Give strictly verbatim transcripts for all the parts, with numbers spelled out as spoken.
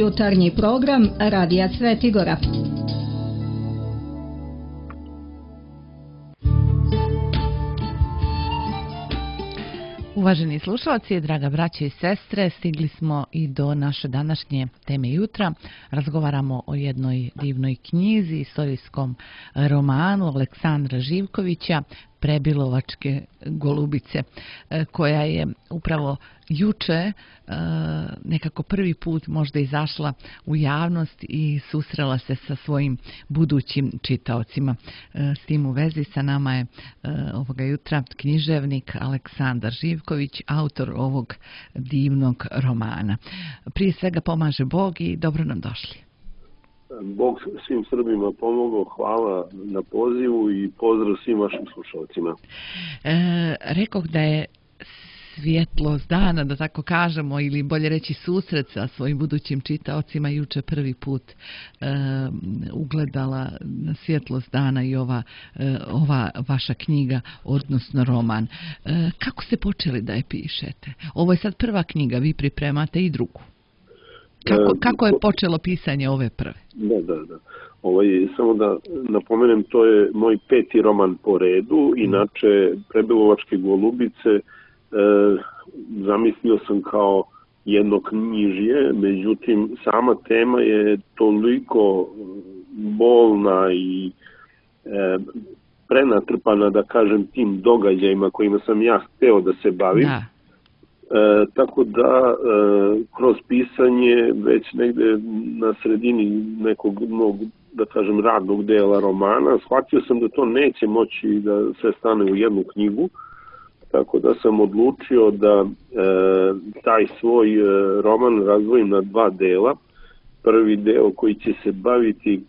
Jutarnji program Radija Svetigora. Uvaženi slušalci, draga braće i sestre, stigli smo i do naše današnje teme jutra. Razgovaramo o jednoj divnoj knjizi, istorijskom romanu Aleksandra Živkovića, Prebilovačke golubice, koja je upravo juče nekako prvi put možda izašla u javnost i susrela se sa svojim budućim čitaocima. S tim u vezi sa nama je ovoga jutra književnik Aleksandar Živković, autor ovog divnog romana. Prije svega pomaže Bog i dobro nam došli. Bog svim Srbima pomogao, hvala na pozivu i pozdrav svim vašim slušalcima. E, rekoh da je svjetlost dana, da tako kažemo, ili bolje reći susret sa svojim budućim čitaocima juče prvi put e, ugledala na svjetlost dana i ova, e, ova vaša knjiga, odnosno roman. E, kako ste počeli da je pišete? Ovo je sad prva knjiga, vi pripremate i drugu. Kako, kako je počelo pisanje ove prve? Da, da, da. Ovaj, samo da napomenem, to je moj peti roman po redu. Inače, Prebilovačke golubice e, zamislio sam kao jedno knjižje, međutim, sama tema je toliko bolna i e, prenatrpana, da kažem, tim događajima kojima sam ja hteo da se bavim. Da. E, tako da e, kroz pisanje već negde na sredini nekog mog, da kažem, radnog dela romana shvatio sam da to neće moći da se stane u jednu knjigu, tako da sam odlučio da e, taj svoj e, roman razdvojim na dva dela. Prvi deo koji će se baviti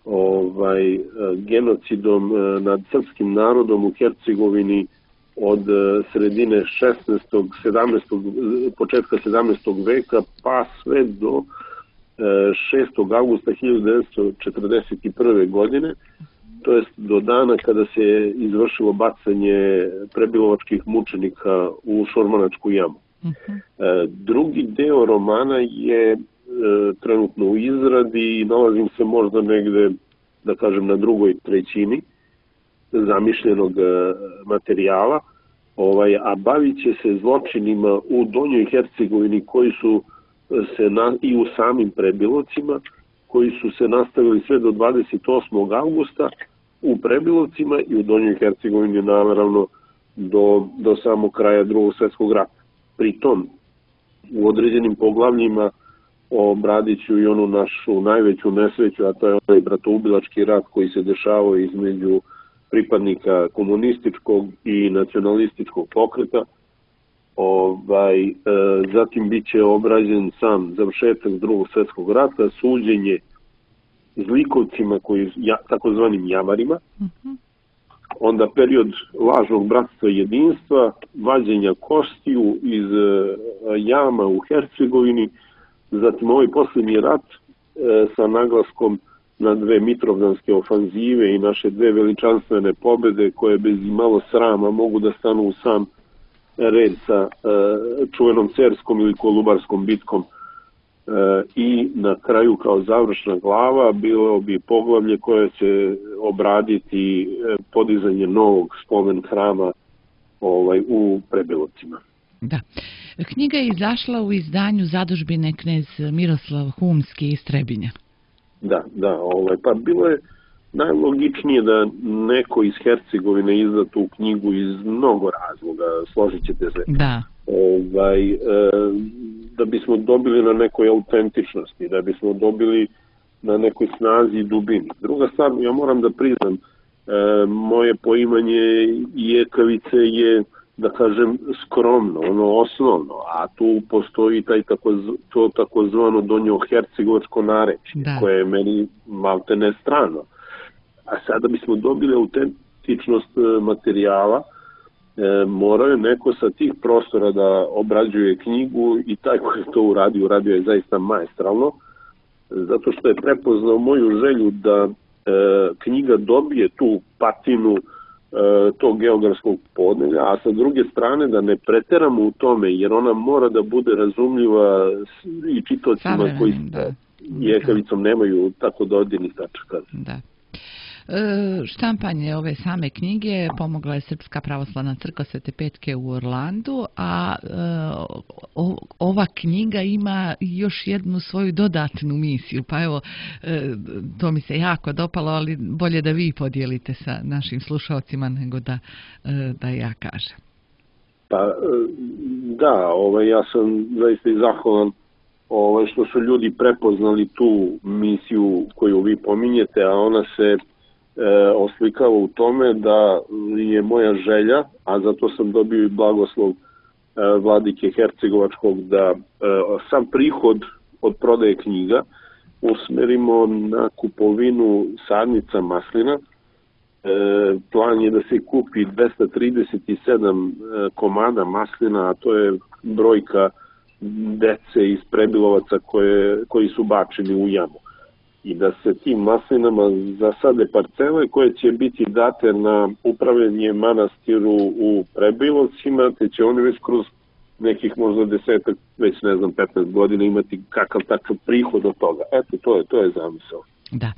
ovaj, e, genocidom e, nad srpskim narodom u Hercegovini od sredine šesnaestog, sedamnaestog, početka sedamnaestog veka pa sve do šestog avgusta hiljadu devetsto četrdeset prve. godine, to jest do dana kada se izvršilo bacanje prebilovačkih mučenika u Šormanačku jamu. Uh-huh. Drugi deo romana je trenutno u izradi i nalazim se možda negde, da kažem, na drugoj trećini zamišljenog materijala, ovaj, a bavit će se zločinima u Donjoj Hercegovini koji su se na, i u samim Prebilovcima, koji su se nastavili sve do dvadeset osmog avgusta u Prebilovcima i u Donjoj Hercegovini naravno do, do samog kraja Drugog svjetskog rata. Pritom, u određenim poglavljima obradit ću i onu našu najveću nesreću, a to je onaj bratoubilački rat koji se dešavao između pripadnika komunističkog i nacionalističkog pokreta. Ovaj, e, zatim bit će obrađen sam završetak Drugog svjetskog rata, suđenje zlikovcima, koji, ja, takozvanim jamarima, uh-huh. Onda period lažnog bratstva i jedinstva, vađenja kostiju iz e, jama u Hercegovini, zatim ovaj posljednji rat e, sa naglaskom na dve mitrovdanske ofanzive i naše dve veličanstvene pobjede koje bez imalo srama mogu da stanu u sam red sa e, čuvenom Cerskom ili Kolubarskom bitkom. E, I na kraju kao završna glava bilo bi poglavlje koje će obraditi e, podizanje novog spomen hrama ovaj, u Prebilovcima. Da. Knjiga je izašla u izdanju zadužbine knez Miroslav Humski iz Trebinja. Da, da, ovaj, pa bilo je najlogičnije da neko iz Hercegovine izda tu knjigu iz mnogo razloga, složit ćete se. Da. Ovaj, e, da bismo dobili na nekoj autentičnosti, da bismo dobili na nekoj snazi i dubini. Druga stvar, ja moram da priznam, e, moje poimanje jekavice je, da kažem, skromno, ono osnovno, a tu postoji taj tako, to takozvano donjohercegovačko narečje, koje je meni malte ne strano. A sada bismo dobili autentičnost materijala, e, morao je neko sa tih prostora da obrađuje knjigu i taj koji je to uradio, uradio je zaista maestralno, zato što je prepoznao moju želju da e, knjiga dobije tu patinu tog geografskog podneblja, a sa druge strane da ne preteramo u tome, jer ona mora da bude razumljiva i čitocima koji da. jekavicom nemaju tako dodirnih tačaka. Da. Štampanje ove same knjige pomogla je Srpska pravoslavna crkva Svete Petke u Orlandu, a o, ova knjiga ima još jednu svoju dodatnu misiju, pa evo, to mi se jako dopalo, ali bolje da vi podijelite sa našim slušalcima nego da, da ja kažem. Pa da, ovaj, ja sam zaista i zahvalan ovaj, što su ljudi prepoznali tu misiju koju vi pominjete, a ona se oslikava u tome da je moja želja, a zato sam dobio i blagoslov vladike Hercegovačkog, da sam prihod od prodaje knjiga usmerimo na kupovinu sadnica maslina. Plan je da se kupi dvesta trideset sedam komada maslina, a to je brojka dece iz Prebilovaca koje, koji su bačeni u jamu. I da se tim maslinama zasade parcele koje će biti date na upravljanje manastiru u Prebilovcima, te će oni već kroz nekih možda desetak, već ne znam, petnaest godina imati kakav takav prihod od toga. Eto, to je, to je zamisao. Da. E,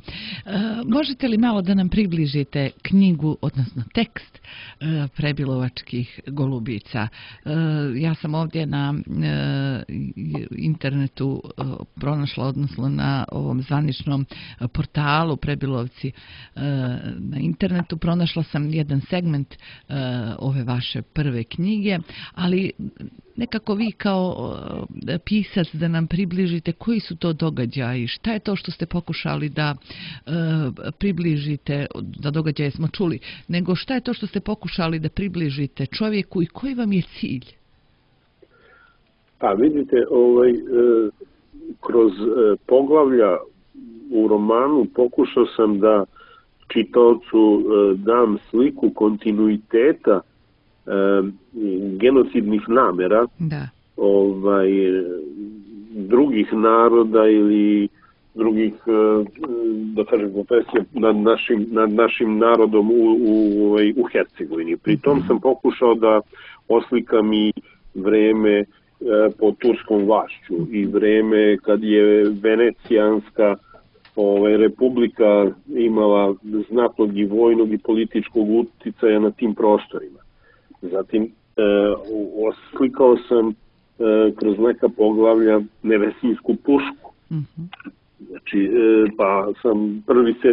možete li malo da nam približite knjigu, odnosno tekst e, Prebilovačkih golubica? E, ja sam ovdje na e, internetu e, pronašla, odnosno na ovom zvaničnom portalu Prebilovci e, na internetu pronašla sam jedan segment e, ove vaše prve knjige, ali nekako vi kao e, pisac da nam približite koji su to događaji, šta je to što ste pokušali da da e, približite, da događaje smo čuli, nego šta je to što ste pokušali da približite čovjeku i koji vam je cilj? Pa vidite, ovaj, e, kroz e, poglavlja u romanu pokušao sam da čitaocu e, dam sliku kontinuiteta e, genocidnih namera da. Ovaj, drugih naroda ili drugih, da kažem, konfesija nad našim, nad našim narodom u, u, u Hercegovini. Pri tom sam pokušao da oslikam i vreme pod turskom vlašću i vreme kad je Venecijanska ovaj, republika imala znatnog i vojnog i političkog uticaja na tim prostorima. Zatim e, oslikao sam e, kroz neka poglavlja Nevesinsku pušku. Mm-hmm. Znači, pa sam prvi se,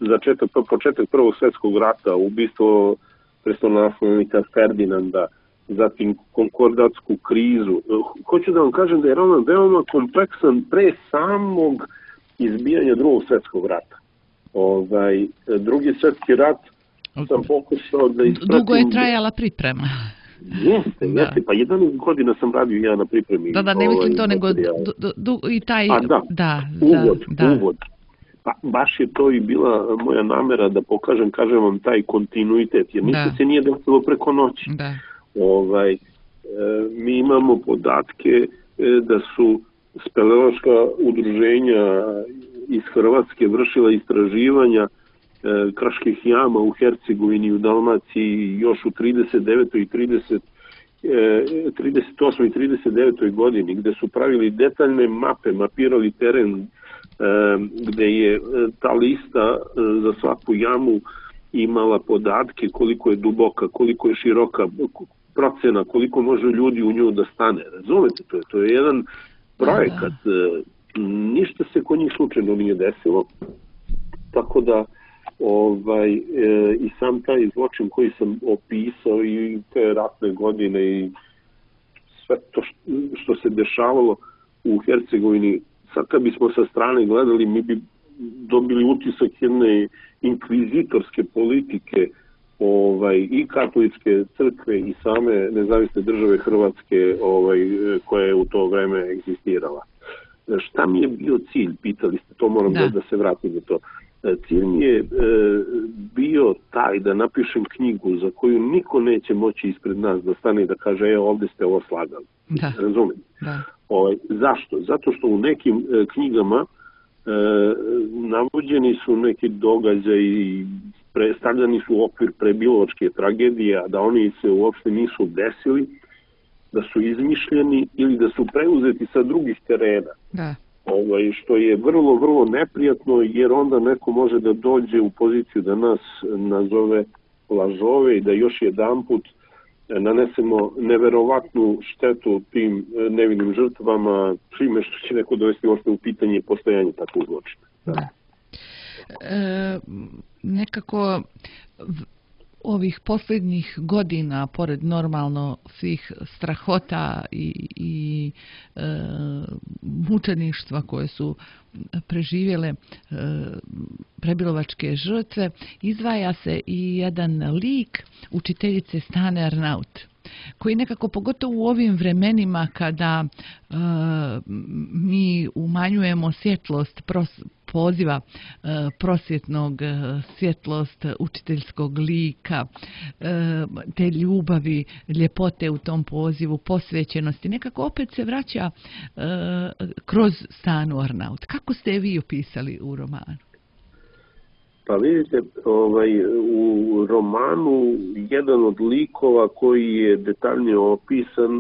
začetak, početak prvog svjetskog rata, ubistvo prestolonaslednika Ferdinanda, zatim konkordatsku krizu. Hoću da vam kažem da je roman veoma kompleksan pre samog izbijanja drugog svjetskog rata. Ovaj, drugi svjetski rat sam pokušao da ispratim... Dugo je trajala priprema. Jeste, da. jeste, pa jedanaest godina sam radio ja na pripremi. Da, da, ne mislim ovaj, to, nego du, du, du, i taj... A, da, da, uvod, da. uvod. Pa baš je to i bila moja namera da pokažem, kažem vam, taj kontinuitet, jer ništa se nije desilo preko noći. Da. Ovaj, e, mi imamo podatke e, da su speleološka udruženja iz Hrvatske vršila istraživanja kraških jama u Hercegovini i u Dalmaciji još u trideset devetoj i trideset, trideset osmoj i trideset devetoj godini, gde su pravili detaljne mape, mapirali teren, gde je ta lista za svaku jamu imala podatke koliko je duboka, koliko je široka, procena, koliko može ljudi u nju da stane. Razumete, to je, to je jedan projekat. Ništa se kod njih slučajno nije desilo, tako da ovaj, e, i sam taj zločin koji sam opisao i te ratne godine i sve to što se dešavalo u Hercegovini, sad kad bismo sa strane gledali, mi bi dobili utisak jedne inkvizitorske politike ovaj, i katoličke crkve i same nezavisne države Hrvatske ovaj, koja je u to vreme egzistirala. Šta mi je bio cilj, pitali ste, to moram da, da se vratim na to. Cilj mi je e, bio taj da napišem knjigu za koju niko neće moći ispred nas da stane i da kaže, evo ovdje ste ovo slagali. Da. Razumijem? Da. Ovaj, zašto? Zato što u nekim e, knjigama e, navođeni su neki događaji, pre, stavljani su u okvir prebilovačke tragedije, a da oni se uopšte nisu desili, da su izmišljeni ili da su preuzeti sa drugih terena. Da. Ovaj, što je vrlo, vrlo neprijatno, jer onda neko može da dođe u poziciju da nas nazove lažove i da još jedanput nanesemo neverovatnu štetu tim nevinim žrtvama, čime što će neko dovesti uopšte u pitanje postojanje takvog zločina. Da. E, nekako ovih posljednjih godina, pored normalno svih strahota i, i e, mučeništva koje su preživjele e, prebilovačke žrtve, izdvaja se i jedan lik učiteljice Stane Arnaut, koji nekako, pogotovo u ovim vremenima kada e, mi umanjujemo svjetlost pros, poziva e, prosvjetnog, e, svjetlost učiteljskog lika, e, te ljubavi, ljepote u tom pozivu, posvećenosti, nekako opet se vraća e, kroz Stanu Arnaut. Kako ste je vi opisali u romanu? Pa vidite, ovaj, u romanu jedan od likova koji je detaljnije opisan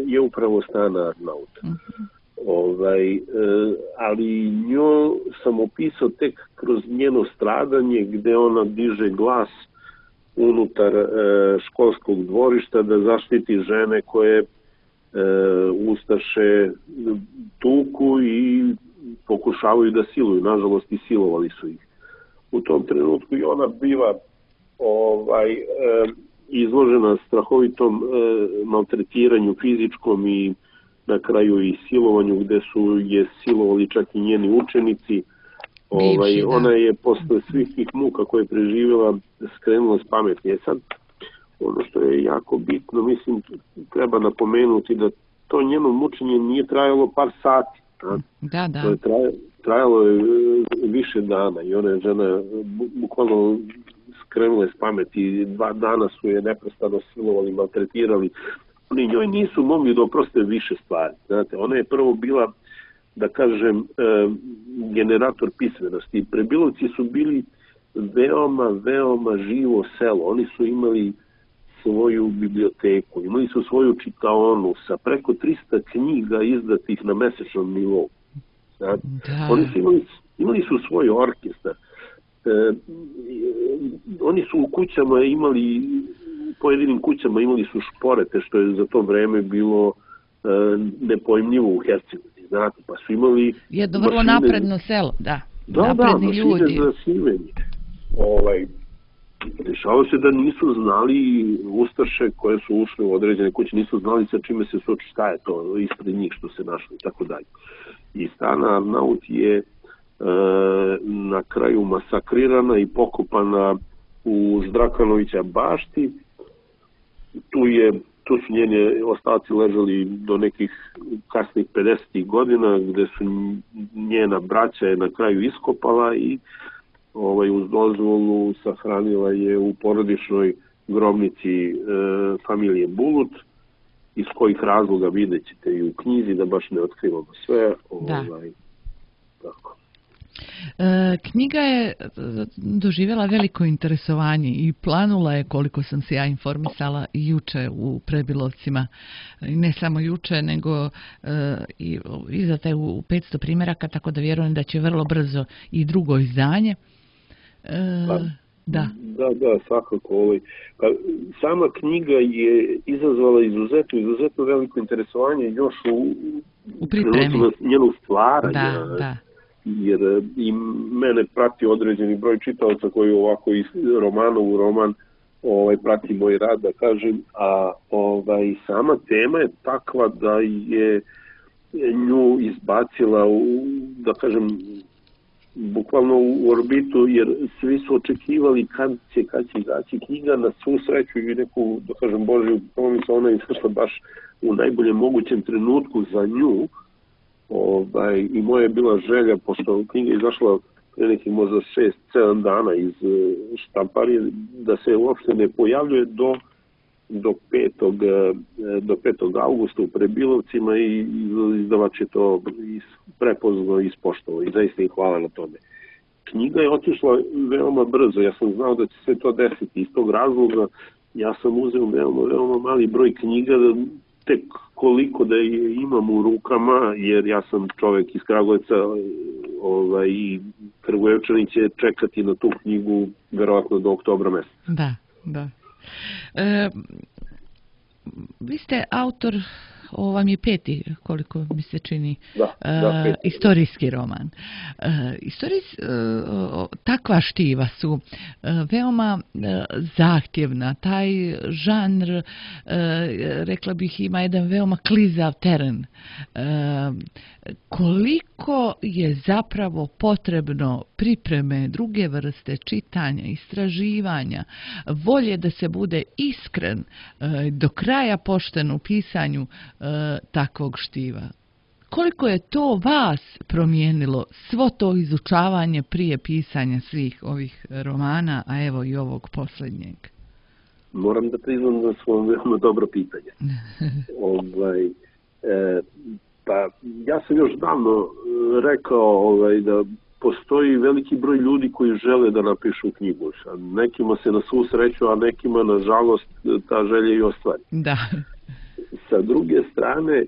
je upravo Stana Arnaut. Uh-huh. Ovaj, ali nju sam opisao tek kroz njeno stradanje, gde ona diže glas unutar školskog dvorišta da zaštiti žene koje ustaše tuku i pokušavaju da siluju. Nažalost, i silovali su ih. U tom trenutku i ona biva ovaj, izložena strahovitom maltretiranju fizičkom i na kraju i silovanju, gde su je silovali čak i njeni učenici. Ovaj, Bivši, ona je posle svih tih muka koje je preživjela skrenula s pameti. E sad, ono što je jako bitno, mislim, treba napomenuti da to njeno mučenje nije trajalo par sati. A? Da, da. To je traj, trajalo je više dana i ona je žena bukvalno skrenula s pameti. Dva dana su je neprestano silovali, maltretirali. Oni njoj nisu mogli da oproste više stvari. Znate, ona je prvo bila, da kažem, generator pismenosti. Prebilovci su bili veoma, veoma živo selo. Oni su imali svoju biblioteku, imali su svoju čitaonu sa preko trista knjiga izdatih na mesečnom nivou. Znate, oni su imali, imali su svoj orkestar. E, oni su u kućama imali pojedinim kućama imali su šporete, što je za to vreme bilo e, nepojmljivo u Hercegovini, znate, pa su imali jedno vrlo mašine, napredno selo, da, da napredni da, ljudi. za sivenje. Ovaj, dešavalo se da nisu znali ustaše koje su ušle u određene kuće, nisu znali sa čime se suoči, šta je to ispred njih što se našlo i tako dalje. I Stana Arnaut je e, na kraju masakrirana i pokopana u Ždrakanovića bašti. Tu, je, tu su njene ostaci ležali do nekih kasnih pedesetih godina, gde su njena braća je na kraju iskopala i ovaj, uz dozvolu sahranila je u porodičnoj grobnici e, familije Bulut, iz kojih razloga vidjet ćete i u knjizi, da baš ne otkrivamo sve. Ovaj, tako. E, knjiga je doživjela veliko interesovanje i planula je, koliko sam se ja informisala, juče u Prebilovcima. I ne samo juče, nego e, i izdata je u petsto primjeraka, tako da vjerujem da će vrlo brzo i drugo izdanje. E, pa, da. da, da, svakako. Ovaj. Pa, sama knjiga je izazvala izuzetno, izuzetno veliko interesovanje još u, u pripremi njenog stvaranja. Da, da. Jer i mene prati određeni broj čitalaca koji ovako iz romana u roman ovaj, prati moj rad, da kažem, a ovaj, sama tema je takva da je nju izbacila u, da kažem, bukvalno u orbitu, jer svi su očekivali kad će, kad će izaći knjiga. Na svu sreću i neku, da kažem, Božju pomoć, ona je izašla baš u najboljem mogućem trenutku za nju. Ovaj, i moja je bila želja, pošto knjiga je izašla pre nekih možda šest sedam dana iz štamparije, da se uopšte ne pojavljuje do, do, petog, do petog augusta u Prebilovcima i izdavač je to prepoznao i ispoštovao i zaista im hvala na tome. knjiga je otišla veoma brzo. Ja sam znao da će se to desiti. Iz tog razloga ja sam uzeo veoma, veoma mali broj knjiga, tek koliko da je imam u rukama, jer ja sam čovek iz Kragujevca ovaj, i Kragujevčani će čekati na tu knjigu verovatno do oktobra meseca. Da, da. E, vi ste autor, ovo vam je peti, koliko mi se čini, da, da, uh, istorijski roman. Uh, istorijs, uh, takva štiva su uh, veoma uh, zahtjevna. Taj žanr, uh, rekla bih, ima jedan veoma klizav teren. Uh, koliko je zapravo potrebno pripreme, druge vrste čitanja, istraživanja, volje da se bude iskren, uh, do kraja pošten u pisanju takvog štiva. Koliko je to vas promijenilo, svo to izučavanje prije pisanja svih ovih romana, a evo i ovog posljednjeg? Moram da priznam da su vam veoma dobro pitanje. ovaj, e, pa ja sam još davno rekao ovaj, da postoji veliki broj ljudi koji žele da napišu knjigu. Nekima se na svu sreću, a nekima nažalost ta želja i ostvari. Da. Sa druge strane,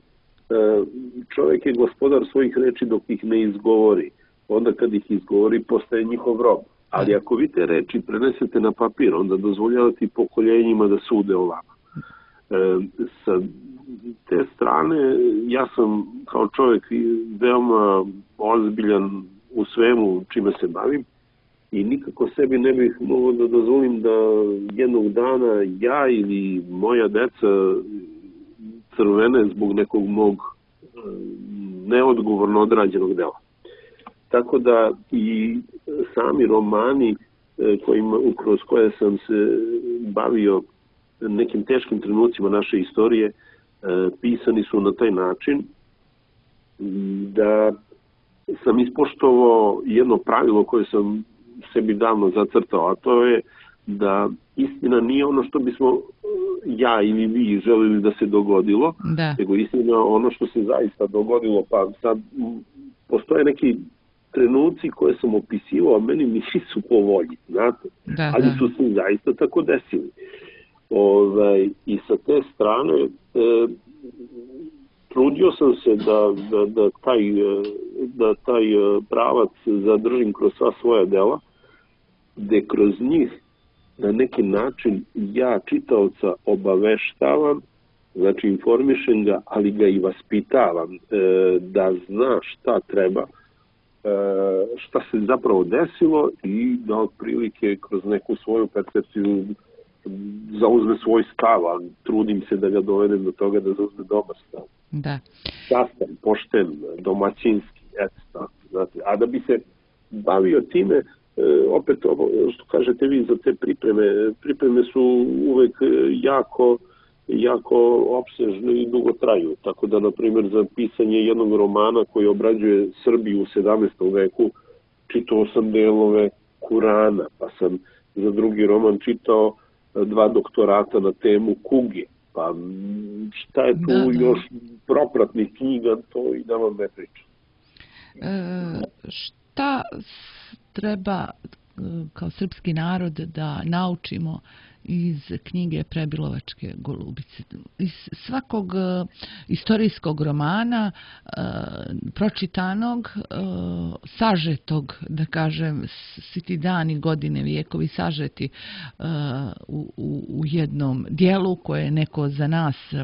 čovjek je gospodar svojih reči dok ih ne izgovori. Onda kad ih izgovori, postaje njihov rob. Ali ako vi te reči prenesete na papir, onda dozvoljavate pokoljenjima da sude o vama. Sa te strane, ja sam kao čovjek veoma ozbiljan u svemu čime se bavim i nikako sebi ne bih mogao da dozvolim da jednog dana ja ili moja deca crvene zbog nekog mog neodgovorno odrađenog dela. Tako da i sami romani kojima, kroz koje sam se bavio nekim teškim trenucima naše istorije, pisani su na taj način da sam ispoštovao jedno pravilo koje sam sebi davno zacrtao, a to je da istina nije ono što bismo ja ili vi želili da se dogodilo, da. nego istina ono što se zaista dogodilo. Pa sad postoje neki trenuci koje sam opisivao, a meni nisu po volji, znate, da, ali da. su se zaista tako desili. Ovaj, I sa te strane e, trudio sam se da, da, da, taj, da taj pravac zadržim kroz sva svoja dela, gde kroz njih na neki način ja čitaoca obaveštavam, znači informišem ga, ali ga i vaspitavam e, da zna šta treba, e, šta se zapravo desilo i da otprilike kroz neku svoju percepciju zauzme svoj stav, a trudim se da ga dovedem do toga da zauzme dobar stav. Da. Častan, pošten, domaćinski, eto, znate. A da bi se bavio time, e, opet ovo što kažete vi za te pripreme, pripreme su uvek jako, jako opsežne i dugo traju. Tako da, na primjer, za pisanje jednog romana koji obrađuje Srbiju u sedamnaestom veku, čitao sam delove Kurana, pa sam za drugi roman čitao dva doktorata na temu kuge. Pa šta je tu da, da. još propratnih knjiga, to i da vam ne pričam. E, šta treba kao srpski narod da naučimo iz knjige Prebilovačke golubice? Iz svakog uh, istorijskog romana uh, pročitanog, uh, sažetog, da kažem, svi ti dani, godine, vijekovi sažeti uh, u, u, u jednom dijelu koje je neko za nas, uh,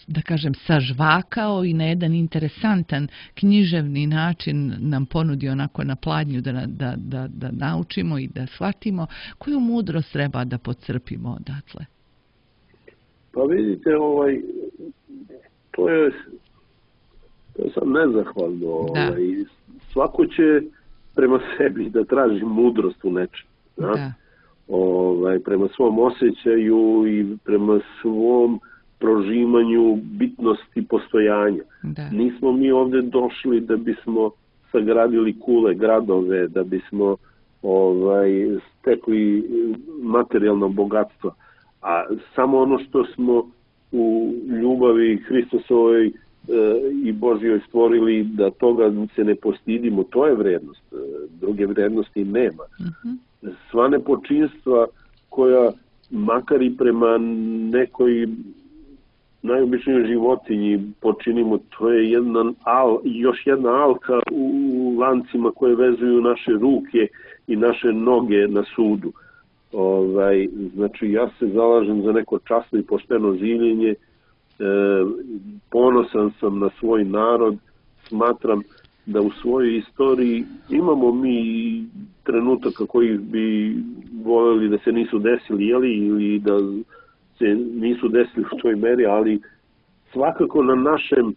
da kažem, sažvakao i na jedan interesantan književni način nam ponudio onako na pladnju da, da, da, da naučimo i da shvatimo. Koju mudrost treba da podcrpimo odatle? Pa vidite, ovaj, to je, to je sad nezahvalno. Ovaj, svako će prema sebi da traži mudrost u nečem. Da. Ovaj, prema svom osjećaju i prema svom prožimanju bitnosti postojanja. Da. Nismo mi ovdje došli da bismo sagradili kule, gradove, da bismo ovaj, stekli materijalno bogatstvo. A samo ono što smo u ljubavi Hristusovoj i Božjoj stvorili, da toga se ne postidimo, to je vrednost. Druge vrednosti nema. Uh-huh. Sva nepočinstva koja, makar i prema nekoj najobičnijoj životinji počinimo, to je jedna al, još jedna alka u lancima koje vezuju naše ruke i naše noge na sudu. Ovaj, znači, ja se zalažem za neko časno i pošteno življenje, e, ponosan sam na svoj narod, smatram da u svojoj istoriji imamo mi trenutaka koji bi voljeli da se nisu desili, jeli, ili da se nisu desili u toj meri, ali svakako na našem,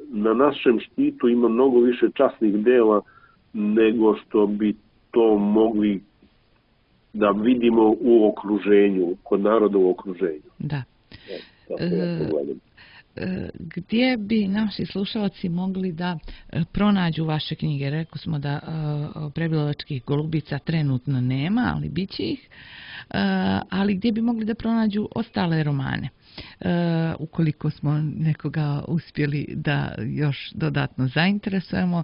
na našem štitu ima mnogo više časnih dela nego što bi to mogli da vidimo u okruženju, kod naroda u okruženju. Da. E, gdje bi naši slušalci mogli da pronađu vaše knjige? Rekli smo da Prebilovačkih golubica trenutno nema, ali bit će ih. Ali gdje bi mogli da pronađu ostale romane? Ukoliko smo nekoga uspjeli da još dodatno zainteresujemo.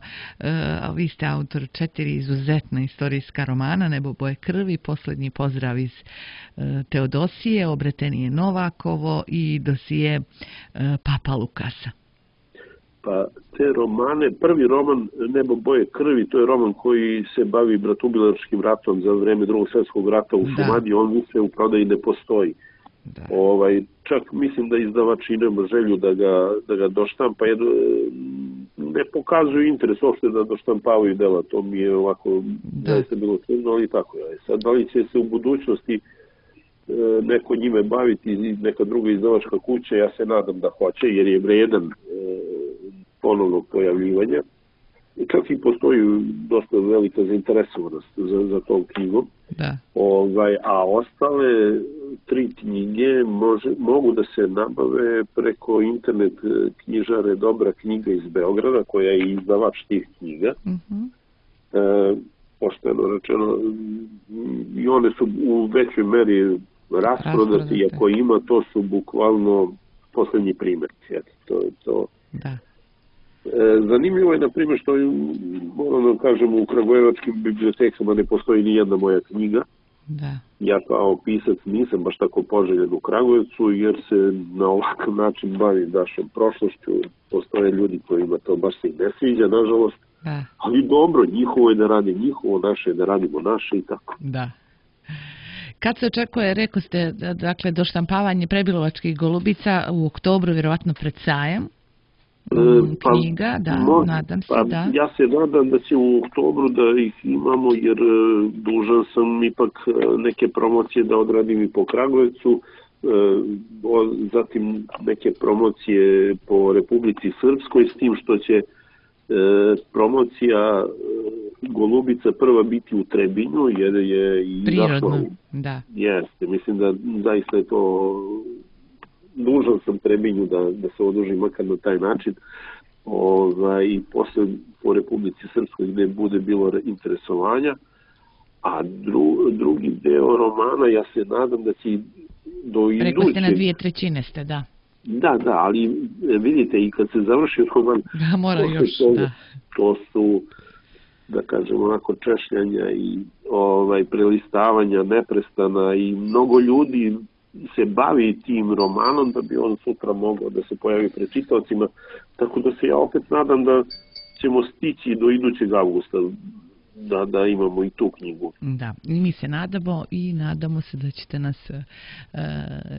Vi ste autor četiri izuzetna istorijska romana: Nebo boje krvi, Posljednji pozdrav iz Teodosije, Obretenije Novakovo i dosije Papa Lukasa. Pa te romane, prvi roman Nebo boje krvi, to je roman koji se bavi bratoubilačkim ratom za vrijeme Drugog svjetskog rata u Šumadiji, on više u prodaji ne postoji. Da. Ovaj, čak mislim da izdavač ima želju da ga, da ga doštampa, jer ne pokazuju interes uopšte da doštampavaju dela, to mi je ovako zaista bilo čudno, ali tako je. Sad, da li će se u budućnosti e, neko njime baviti, neka druga izdavačka kuća, ja se nadam da hoće, jer je vredan e, ponovnog pojavljivanja. I čak i postoji dosta velika zainteresovanost za, za tom knjigom. Da. Ovaj, a ostale tri knjige može, mogu da se nabave preko internet knjižare Dobra knjiga iz Beograda, koja je izdavač tih knjiga. Uh-huh. E, pošteno rečeno, i one su u većoj meri rasprodate, i ako ima, to su bukvalno posljednji primjer. To je to. Da. Zanimljivo je, na primjer, što moram da kažem, u kragujevačkim bibliotekama ne postoji ni jedna moja knjiga. Da. Ja kao pisac nisam baš tako poželjen u Kragujevcu, jer se na ovakav način bavim našom prošlošću. Postoje ljudi kojima to baš se i ne sviđa, nažalost. Da. Ali dobro, njihovo je da radi njihovo, naše je da radimo naše i tako. Da. Kad se očekuje, rekao ste, dakle, doštampavanje Prebilovačkih golubica u oktobru, vjerovatno pred sajam? Pa, knjiga, da, no, nadam se, pa, da. Ja se nadam da će u oktobru da ih imamo, jer dužan sam ipak neke promocije da odradim i po Kragujevcu, zatim neke promocije po Republici Srpskoj, s tim što će promocija Golubica prva biti u Trebinju, jer je i prirodno, da. Jeste, mislim da zaista je to, dužan sam Trebinju da, da se oduži makar na taj način, ovaj, i posle po Republici Srpskoj gde bude bilo interesovanja, a dru, drugi deo romana, ja se nadam da će do idućeg... Rekli ste na dvije trećine ste, da. Da, da, ali vidite, i kad se završi roman, da, mora još, to, da. to su, da kažem, onako češljanja i ovaj, prelistavanja neprestana, i mnogo ljudi se bavi tim romanom da bi on sutra mogao da se pojavi pred čitaocima, tako da se ja opet nadam da ćemo stići do idućeg avgusta da, da imamo i tu knjigu. Da, mi se nadamo i nadamo se da ćete nas e,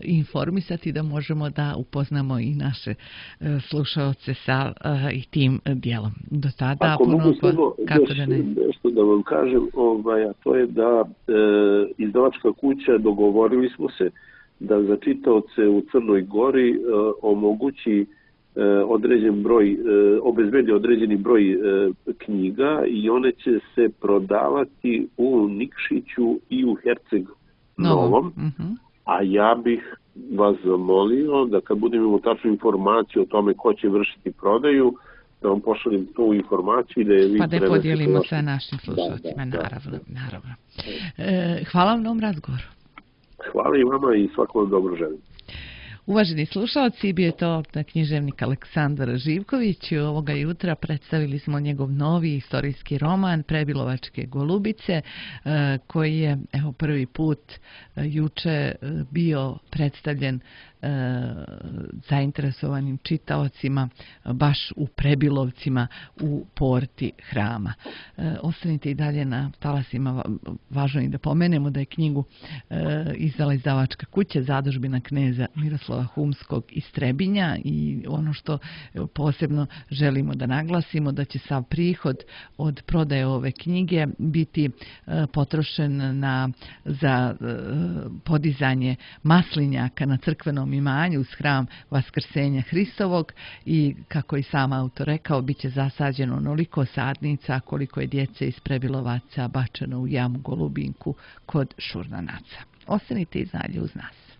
informisati, da možemo da upoznamo i naše e, slušaoce sa e, i tim dijelom. Do tada Ako puno mogu po, samo kako još da ne... nešto da vam kažem, ovaj, a to je da e, izdavačka kuća, dogovorili smo se da za čitaoce u Crnoj Gori e, omogući e, određen broj, e, obezbedi određeni broj e, knjiga, i one će se prodavati u Nikšiću i u Herceg Novom. Uh-huh. A ja bih vas zamolio da kad budemo imali tačnu informaciju o tome ko će vršiti prodaju, da vam pošaljem tu informaciju i da je vi pa da je podijelimo vaš... sa našim slušalcima, da, da, naravno. da. naravno. E, hvala vam na ovom razgovoru. Hvala i vama i svakom dobro želim. Uvaženi slušalci, bio je to književnik Aleksandar Živković. Ovoga jutra predstavili smo njegov novi istorijski roman Prebilovačke golubice, koji je evo prvi put juče bio predstavljen zainteresovanim čitaocima baš u Prebilovcima u porti Hrama. Ostanite i dalje na talasima. Važno je da pomenemo da je knjigu izdala izdavačka kuća Zadužbina kneza Miroslava Humskog iz Trebinja i ono što posebno želimo da naglasimo da će sav prihod od prodaje ove knjige biti potrošen na, za podizanje maslinjaka na crkvenom imanju uz hram Vaskrsenja Hristovog i kako i sam autor rekao, bit će zasađeno onoliko sadnica koliko je djece iz Prebilovaca bačeno u jamu Golubinku kod Šurnanaca. Ostanite i dalje uz nas.